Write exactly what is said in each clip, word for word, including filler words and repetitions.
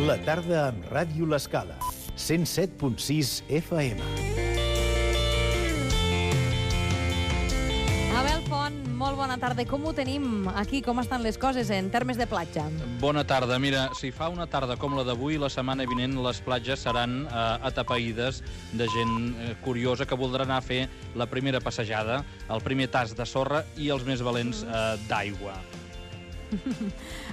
La tarda amb Ràdio L'Escala. cent set punt sis F M. Abel Font, molt bona tarda. Com ho tenim aquí? Com estan les coses en termes de platja? Bona tarda. Mira, si fa una tarda com la d'avui, la setmana vinent les platges seran eh, atapeïdes de gent eh, curiosa que voldrà anar a fer la primera passejada, el primer tas de sorra i els més valents eh, d'aigua.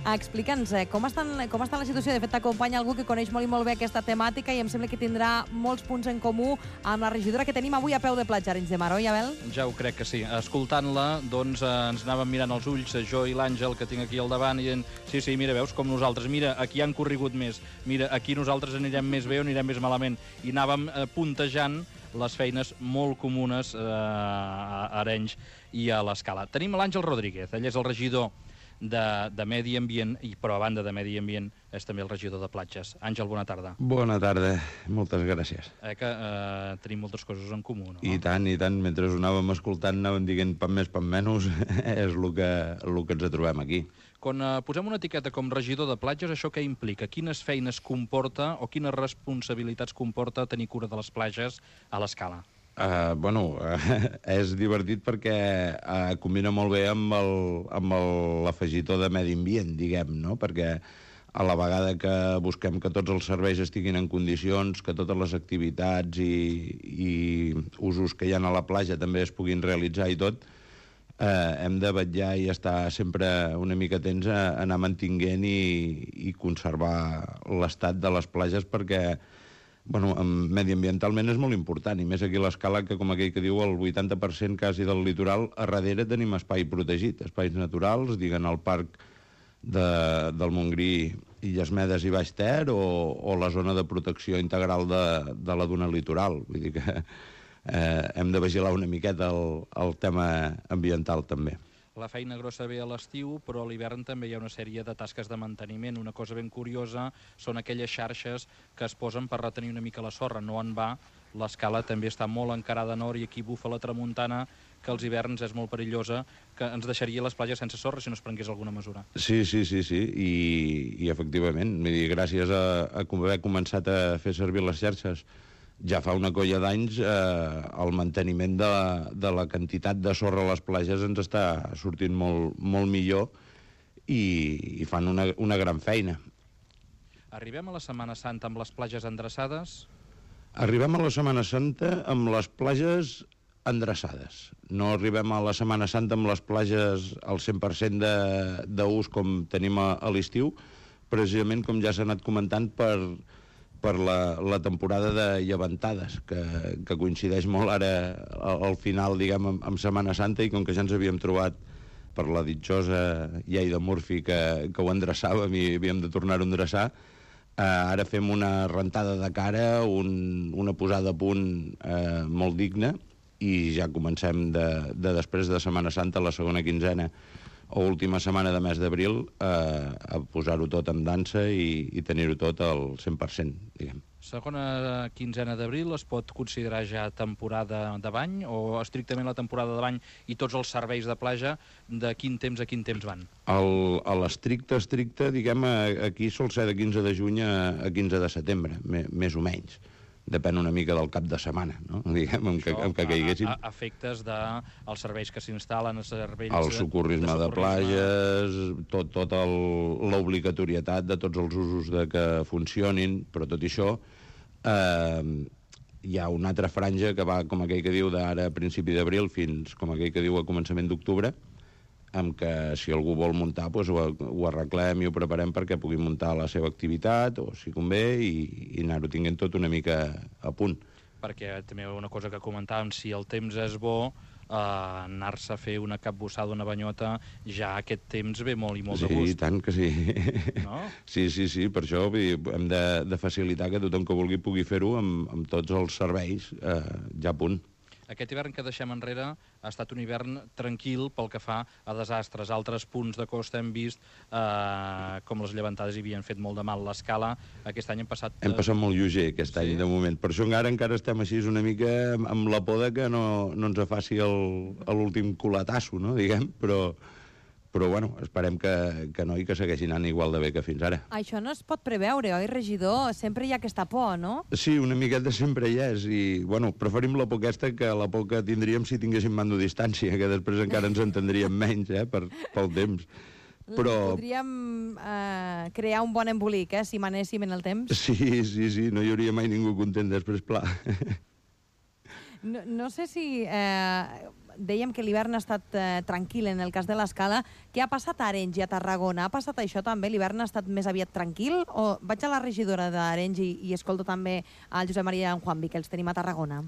Explica'ns, eh, com, estan, com està la situació? De fet, t'acompanya algú que coneix molt i molt bé aquesta temàtica i em sembla que tindrà molts punts en comú amb la regidora que tenim avui a peu de platja, Arenys de Mar, oi, Abel? Ja ho crec que sí. Escoltant-la, doncs, eh, ens anàvem mirant els ulls, jo i l'Àngel, que tinc aquí al davant, i dient, sí, sí, mira, veus, com nosaltres, mira, aquí han corregut més, mira, aquí nosaltres anirem més bé o anirem més malament. I anàvem eh, puntejant les feines molt comunes eh, a Arenys i a l'Escala. Tenim l'Àngel Rodríguez, ell és el regidor de, de Medi Ambient, i però a banda de Medi Ambient és també el regidor de platges. Àngel, bona tarda. Bona tarda, moltes gràcies. Eh, que eh, tenim moltes coses en comú, no? I tant, i tant, mentre us anàvem escoltant anàvem dient pam més, pam menys, és el que, el que ens trobem aquí. Quan eh, posem una etiqueta com regidor de platges, això què implica? Quines feines comporta o quines responsabilitats comporta tenir cura de les platges a l'Escala? Uh, bueno, uh, és divertit perquè uh, combina molt bé amb el, amb l'afegitó de medi ambient, diguem, no? Perquè a la vegada que busquem que tots els serveis estiguin en condicions, que totes les activitats i, i usos que hi ha a la platja també es puguin realitzar i tot, eh, hem de vetllar i estar sempre una mica atents a anar mantinguent i, i conservar l'estat de les platges perquè, bueno, mediambientalment és molt important, i més aquí a l'Escala, que com aquell que diu, el vuitanta per cent quasi del litoral, a darrere tenim espai protegit, espais naturals, diguen el parc de, del Montgrí, Illes Medes i Baix Ter, o, o la zona de protecció integral de, de la duna litoral. Vull dir que eh, hem de vigilar una miqueta el, el tema ambiental també. La feina grossa ve a l'estiu, però a l'hivern també hi ha una sèrie de tasques de manteniment. Una cosa ben curiosa són aquelles xarxes que es posen per retenir una mica la sorra. No en va, l'Escala també està molt encarada a nord i aquí bufa la tramuntana, que als hiverns és molt perillosa, que ens deixaria les platges sense sorra si no es prengués alguna mesura. Sí, sí, sí, sí, i, i efectivament, vull dir, gràcies a, a haver començat a fer servir les xarxes ja fa una colla d'anys, eh, el manteniment de la, de la quantitat de sorra a les platges ens està sortint molt, molt millor i, i fan una, una gran feina. Arribem a la Setmana Santa amb les platges endreçades? Arribem a la Setmana Santa amb les platges endreçades. No arribem a la Setmana Santa amb les platges al cent per cent d'ús com tenim a, a l'estiu, precisament com ja s'ha anat comentant per... per la, la temporada de llevantades, que, que coincideix molt ara al, al final, diguem, amb, amb Setmana Santa, i com que ja ens havíem trobat per la ditjosa llei de Murphy que, que ho endreçàvem i havíem de tornar-ho a endreçar, eh, ara fem una rentada de cara, un, una posada a punt eh, molt digna, i ja comencem de, de després de Setmana Santa, la segona quinzena, o última setmana de mes d'abril, eh, a posar-ho tot en dansa i, i tenir-ho tot al cent per cent, diguem. Segona quinzena d'abril es pot considerar ja temporada de bany, o estrictament la temporada de bany i tots els serveis de platja, de quin temps a quin temps van? El, a l'estricte, estricte, diguem, aquí sol ser de quinze de juny a, a quinze de setembre, me, més o menys. Depèn una mica del cap de setmana, no? Diguem, amb que, amb que caiguessin. A, a efectes dels de serveis que s'instal·len, els serveis el socorrisme de, de, de platges, tot, tot l'obligatorietat de tots els usos de que funcionin, però tot això eh, hi ha una altra franja que va, com aquell que diu, d'ara a principi d'abril fins, com aquell que diu, a començament d'octubre, amb que si algú vol muntar, doncs ho, ho arreglem i ho preparem perquè pugui muntar la seva activitat, o si convé, i, i anar-ho tinguent tot una mica a punt. Perquè també una cosa que comentàvem, si el temps és bo, eh, anar-se a fer una capbussada, una banyota, ja aquest temps ve molt i molt sí, de gust. Sí, tant que sí. No? Sí, sí, sí, per això hem de, de facilitar que tothom que vulgui pugui fer-ho amb, amb tots els serveis eh, ja a punt. Aquest hivern que deixem enrere ha estat un hivern tranquil pel que fa a desastres. Altres punts de costa hem vist eh, com les llevantades hi havien fet molt de mal. L'Escala aquest any hem passat... Hem passat molt lleuger aquest sí. any, de moment. Per això encara encara estem així una mica amb la por de que no, no ens faci l'últim culatasso, no? Diguem, però, Però, bueno, esperem que, que no i que segueixi anant igual de bé que fins ara. Això no es pot preveure, oi, regidor? Sempre hi ha aquesta por, no? Sí, una miqueta sempre hi és, i, bueno, preferim la por aquesta que la por que tindríem si tinguéssim mando distància, que després encara ens entendríem menys, eh, per, pel temps. Però... Podríem eh, crear un bon embolic, eh, si manéssim en el temps. Sí, sí, sí, no hi hauria mai ningú content després, pla. No, no sé si... Eh, dèiem que l'hivern ha estat eh, tranquil en el cas de l'Escala. Què ha passat a Arenys i a Tarragona? Ha passat això també? L'hivern ha estat més aviat tranquil? O vaig a la regidora d'Arenys i, i escolto també al Josep Maria i en Juanvi, que els tenim a Tarragona.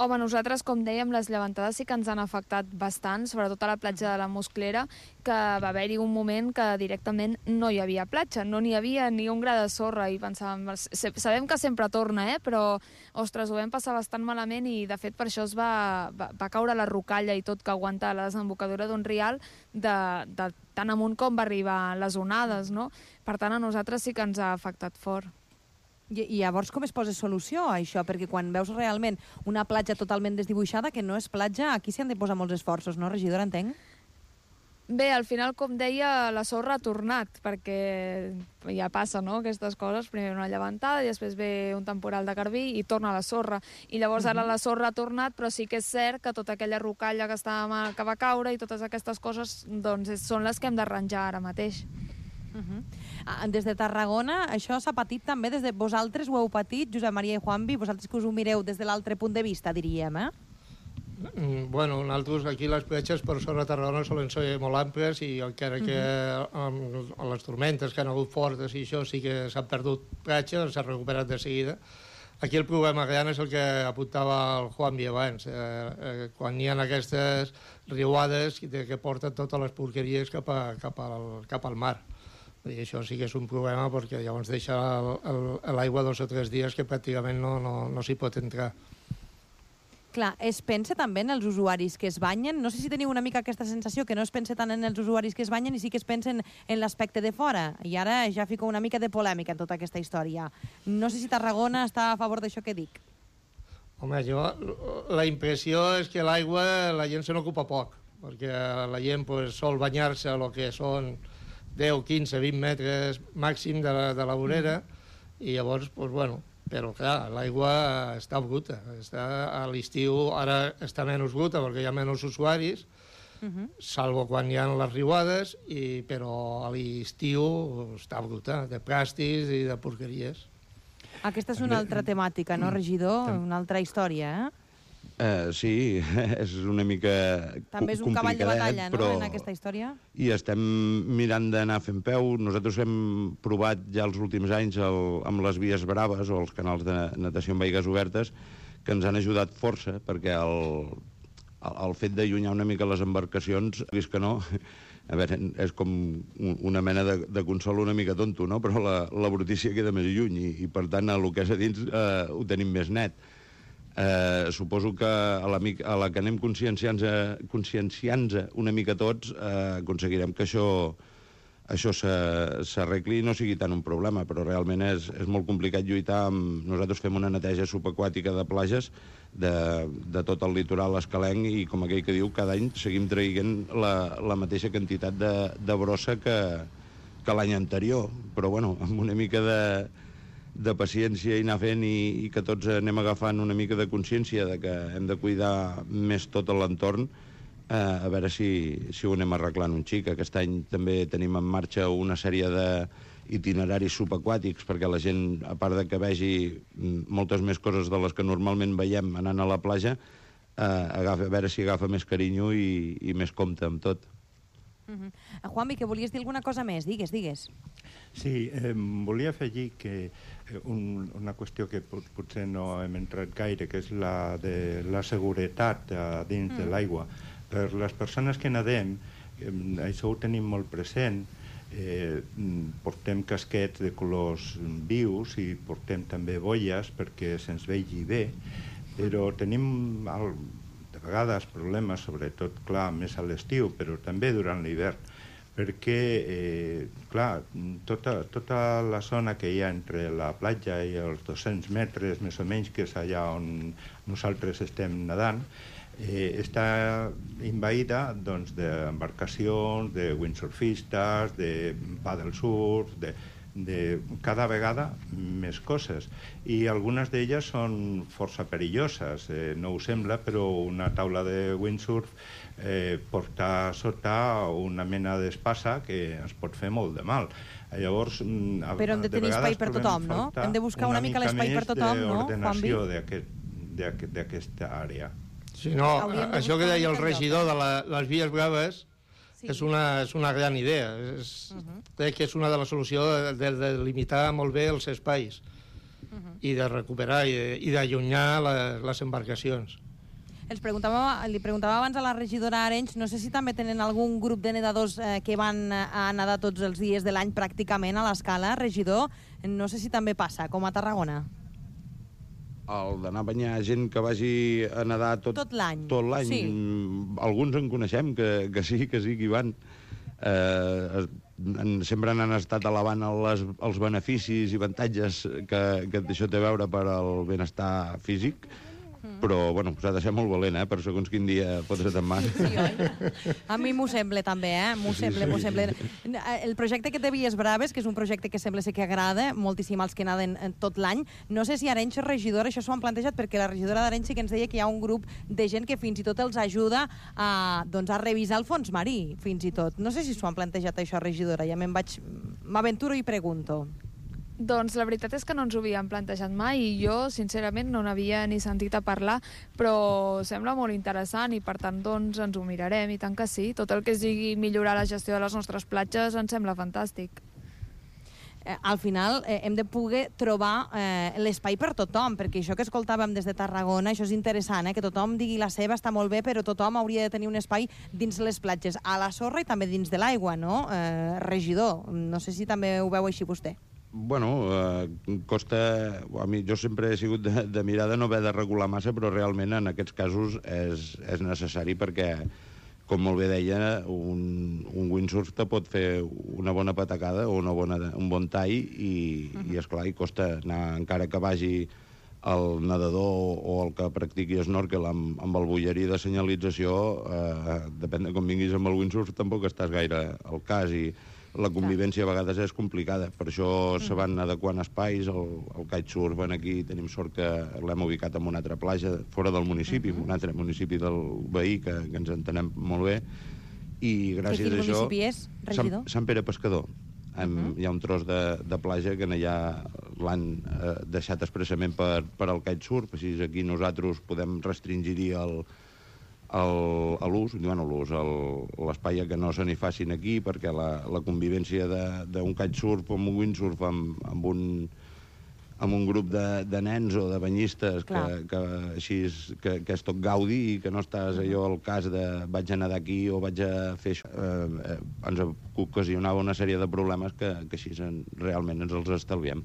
Home, nosaltres, com dèiem, les llevantades sí que ens han afectat bastant, sobretot a la platja de la Musclera, que va haver-hi un moment que directament no hi havia platja, no n'hi havia ni un gra de sorra, i pensàvem, sabem que sempre torna, eh? Però, ostres, ho vam passar bastant malament i, de fet, per això es va, va, va caure la rocalla i tot que aguanta la desembocadura d'un rial de, de tan amunt com va arribar les onades, no? Per tant, a nosaltres sí que ens ha afectat fort. I, I llavors com es posa solució a això? Perquè quan veus realment una platja totalment desdibuixada, que no és platja, aquí s'hi han de posar molts esforços, no, regidora, entenc? Bé, al final, com deia, la sorra ha tornat, perquè ja passa, no?, aquestes coses. Primer una llevantada i després ve un temporal de garbí i torna la sorra. I llavors ara la sorra ha tornat, però sí que és cert que tota aquella rocalla que, estava, que va caure i totes aquestes coses doncs, són les que hem d'arranjar ara mateix. Uh -huh. Des de Tarragona, això s'ha patit també, des de vosaltres ho heu patit, Josep Maria i Juanvi, vosaltres que us ho mireu des de l'altre punt de vista, diríem, eh? Mm, bueno, nosaltres aquí les platges per sobre de Tarragona solen ser molt àmplies i encara que uh -huh. amb, amb les tormentes que han hagut fortes i això sí que s'han perdut platges, s'ha recuperat de seguida. Aquí el problema gran és el que apuntava el Juanvi abans, eh, eh, quan hi ha aquestes riuades que, que porten totes les porqueries cap, a, cap, al, cap al mar. I això sí que és un problema perquè llavors deixa l'aigua dos o tres dies que pràcticament no, no, no s'hi pot entrar. Clar, es pensa també en els usuaris que es banyen? No sé si teniu una mica aquesta sensació que no es pensa tant en els usuaris que es banyen i sí que es pensen en l'aspecte de fora. I ara ja fico una mica de polèmica en tota aquesta història. No sé si Tarragona està a favor d'això que dic. Home, jo, la impressió és que l'aigua la gent se n'ocupa poc, perquè la gent pues, sol banyar-se a lo que són deu, quinze, vint metres màxim de la, de la vorera, i llavors, pues, bueno, però clar, l'aigua està bruta. Està, a l'estiu ara està menys bruta perquè hi ha menys usuaris, uh -huh. salvo quan hi ha les riuades, i, però a l'estiu està bruta, de plàstics i de porqueries. Aquesta és una altra temàtica, no, regidor? Una altra història, eh? Uh, sí, és una mica també és un cavall de batalla, no?, però... en aquesta història. I estem mirant d'anar fent peu. Nosaltres hem provat ja els últims anys el, amb les vies braves o els canals de natació amb aigues obertes, que ens han ajudat força, perquè el, el, el fet d'allunyar una mica les embarcacions, vist que no, a veure, és com una mena de, de consol una mica tonto, no?, però la, la brutícia queda més lluny i, i per tant, el que és a dins eh, ho tenim més net. Eh, suposo que a la, a la que anem conscienciant-nos conscienciant una mica tots eh, aconseguirem que això, això s'arregli i no sigui tant un problema, però realment és, és molt complicat lluitar amb... Nosaltres fem una neteja subaquàtica de platges de, de tot el litoral escalenc i, com aquell que diu, cada any seguim traient la, la mateixa quantitat de, de brossa que, que l'any anterior, però bueno, amb una mica de de paciència i anar fent i, i que tots anem agafant una mica de consciència de que hem de cuidar més tot l'entorn, eh, a veure si, si ho anem arreglant un xic. Aquest any també tenim en marxa una sèrie d'itineraris subaquàtics perquè la gent, a part de que vegi moltes més coses de les que normalment veiem anant a la platja, eh, agafa, a veure si agafa més carinyo i, i més compte amb tot. Uh -huh. Juanvi, que volies dir alguna cosa més? Digues, digues. Sí, eh, volia afegir que eh, un, una qüestió que pot, potser no hem entrat gaire, que és la de la seguretat a dins mm. de l'aigua. Per les persones que nadem, eh, això ho tenim molt present, eh, portem casquets de colors vius i portem també boies perquè se'ns vegi bé, però tenim el, de vegades problemes, sobretot, clar, més a l'estiu, però també durant l'hivern, perquè, eh, clar, tota, tota la zona que hi ha entre la platja i els dos-cents metres, més o menys, que és allà on nosaltres estem nedant, eh, està envaïda doncs, d'embarcacions, de windsurfistes, de paddle surf, de, de cada vegada més coses. I algunes d'elles són força perilloses. Eh, no ho sembla, però una taula de windsurf eh, porta sota una mena d'espasa que ens pot fer molt de mal. Llavors, a, però hem de tenir espai per tothom, no? Hem de buscar una, una mica l'espai per tothom, no? D'ordenació d'aquesta àrea. Sí, no, això que deia el regidor de la, les vies breves sí. és, una, és una gran idea. És, uh -huh. Crec que és una de les solucions de, de limitar molt bé els espais uh -huh. i de recuperar i, de, i d'allunyar les, les embarcacions. Els preguntava, li preguntava abans a la regidora Arenys, no sé si també tenen algun grup de nedadors eh, que van a nedar tots els dies de l'any pràcticament a l'Escala, regidor, no sé si també passa, com a Tarragona. El d'anar a banyar gent que vagi a nedar tot, tot l'any. Tot l'any. Sí. Alguns en coneixem, que, que sí, que sí que hi van. Eh, en, sempre n'han estat elevant les, els beneficis i avantatges que, que això té a veure per al benestar físic, però, bueno, s'ha de ser molt valent, eh?, per segons quin dia fotre't en mà. Sí, oi? A mi m'ho sembla, també, eh? M'ho sí, sembla, sí, m'ho sí. sembla. El projecte que té Vies Braves, que és un projecte que sembla ser que agrada moltíssim als que naden tot l'any, no sé si Arenys és regidora, això s'ho han plantejat, perquè la regidora d'Arenys sí que ens deia que hi ha un grup de gent que fins i tot els ajuda a, doncs, a revisar el fons marí, fins i tot. No sé si s'ho han plantejat, això, regidora, ja me'n vaig... m'aventuro i pregunto. Doncs la veritat és que no ens ho havíem plantejat mai i jo, sincerament, no n'havia ni sentit a parlar, però sembla molt interessant i, per tant, doncs, ens ho mirarem, i tant que sí. Tot el que sigui millorar la gestió de les nostres platges ens sembla fantàstic. Eh, al final eh, hem de poder trobar eh, l'espai per tothom, perquè això que escoltàvem des de Tarragona, això és interessant, eh, que tothom digui la seva, està molt bé, però tothom hauria de tenir un espai dins les platges, a la sorra i també dins de l'aigua, no? Eh, regidor, no sé si també ho veu així vostè. Bueno, eh, costa... A mi, jo sempre he sigut de, de mirar de no haver de regular massa, però realment en aquests casos és, és necessari perquè, com molt bé deia, un, un windsurf te pot fer una bona patacada o una bona, un bon tall i, uh-huh. i esclar, i costa anar, encara que vagi el nedador o el que practiqui snorkel amb, amb el bullerí de senyalització, eh, depèn de com vinguis amb el windsurf, tampoc estàs gaire al cas i la convivència a vegades és complicada. Per això se van adequant espais. El, el kitesurf, aquí tenim sort que l'hem ubicat en una altra platja, fora del municipi, uh-huh. un altre municipi del veí, que, que ens entenem molt bé. I gràcies a això... Quin municipi és, regidor? Sant, Sant Pere Pescador. Uh-huh. Hi ha un tros de, de platja que allà l'han eh, deixat expressament per, per al kitesurf, així aquí nosaltres podem restringir-hi el El, a l'ús, bueno, l'ús, l'espai que no se n'hi facin aquí, perquè la, la convivència d'un kitesurf o un windsurf amb, amb, un, amb un grup de, de nens o de banyistes que, que, així és, que, que és tot gaudi i que no estàs allò al cas de vaig a nedar aquí o vaig a fer això, eh, eh, ens ocasionava una sèrie de problemes que, que així en, realment ens els estalviem.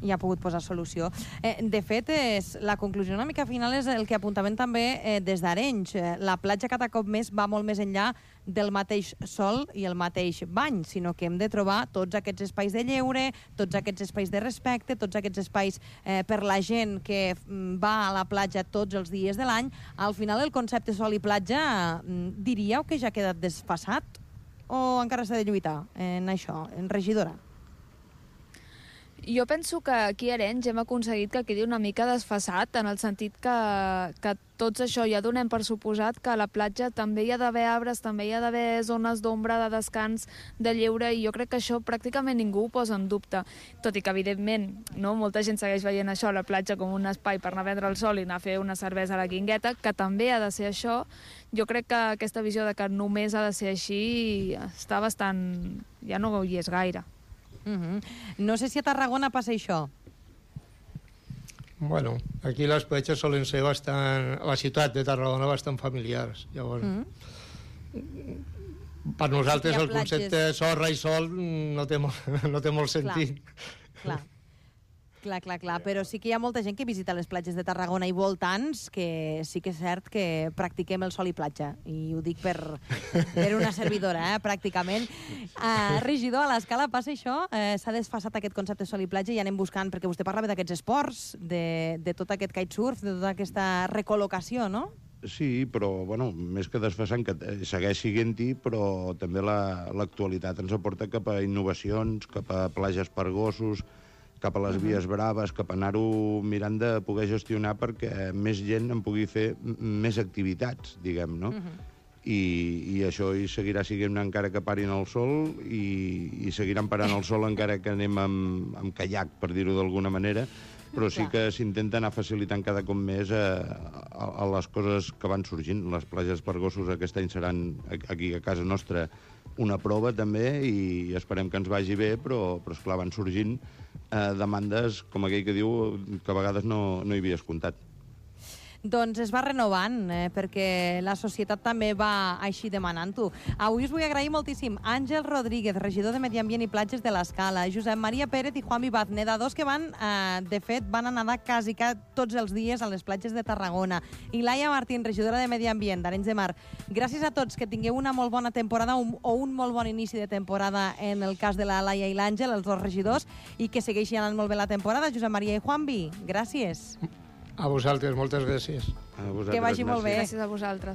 I ha pogut posar solució. Eh, de fet, és, la conclusió una mica final és el que apuntaven també eh, des d'Arenys. Eh, la platja cada cop més va molt més enllà del mateix sol i el mateix bany, sinó que hem de trobar tots aquests espais de lleure, tots aquests espais de respecte, tots aquests espais eh, per la gent que va a la platja tots els dies de l'any. Al final, el concepte sol i platja, diríeu que ja ha quedat desfasat o encara s'ha de lluitar en això, en regidora? Jo penso que aquí a Arenys hem aconseguit que quedi una mica desfasat, en el sentit que, que tots això ja donem per suposat que a la platja també hi ha d'haver arbres, també hi ha d'haver zones d'ombra, de descans, de lleure, i jo crec que això pràcticament ningú ho posa en dubte. Tot i que, evidentment, no, molta gent segueix veient això a la platja com un espai per anar a prendre el sol i anar a fer una cervesa a la Guingueta, que també ha de ser això. Jo crec que aquesta visió de que només ha de ser així està bastant... ja no hi és gaire. Uh-huh. No sé si a Tarragona passa això. Bueno, aquí les platges solen ser bastant... a la ciutat de Tarragona bastant familiars. Llavors, uh-huh. per nosaltres el concepte sorra i sol no té molt, no té molt sentit. Clar. Clar. Clar, clar, clar, però sí que hi ha molta gent que visita les platges de Tarragona i voltants, que sí que és cert que practiquem el sol i platja, i ho dic per, per una servidora, eh, pràcticament. Uh, regidor, a l'Escala passa això? Uh, S'ha desfasat aquest concepte sol i platja i anem buscant, perquè vostè parlava d'aquests esports, de, de tot aquest kitesurf, de tota aquesta recol·locació, no? Sí, però, bueno, més que desfasant, que segueix siguent-hi, però també l'actualitat la, ens aporta cap a innovacions, cap a plages per gossos, cap a les vies braves, cap a anar-ho mirant de poder gestionar perquè més gent en pugui fer més activitats, diguem, no? Uh-huh. I, i això hi seguirà siguent encara que parin el sol i, i seguiran parant el sol encara que anem amb, amb caiac, per dir-ho d'alguna manera, però sí que s'intenta anar facilitant cada cop més a, a, a les coses que van sorgint. Les plages per gossos aquest any seran aquí a casa nostra una prova també i esperem que ens vagi bé, però, però esclar, van sorgint eh, demandes, com aquell que diu, que a vegades no, no hi havies comptat. Doncs es va renovant, eh, perquè la societat també va així demanant-ho. Avui us vull agrair moltíssim Àngel Rodríguez, regidor de Medi Ambient i Platges de l'Escala, Josep Maria Pérez i Juan Vivaz, nedadors que van, eh, de fet, van a nedar quasi tots els dies a les platges de Tarragona, i Laia Martín, regidora de Medi Ambient d'Arenys de Mar. Gràcies a tots, que tingueu una molt bona temporada un, o un molt bon inici de temporada en el cas de la Laia i l'Àngel, els dos regidors, i que segueixi anant molt bé la temporada. Josep Maria i Juanvi, gràcies. A vosaltres, moltes gràcies. A vosaltres, que vagi molt bé. Gràcies a vosaltres.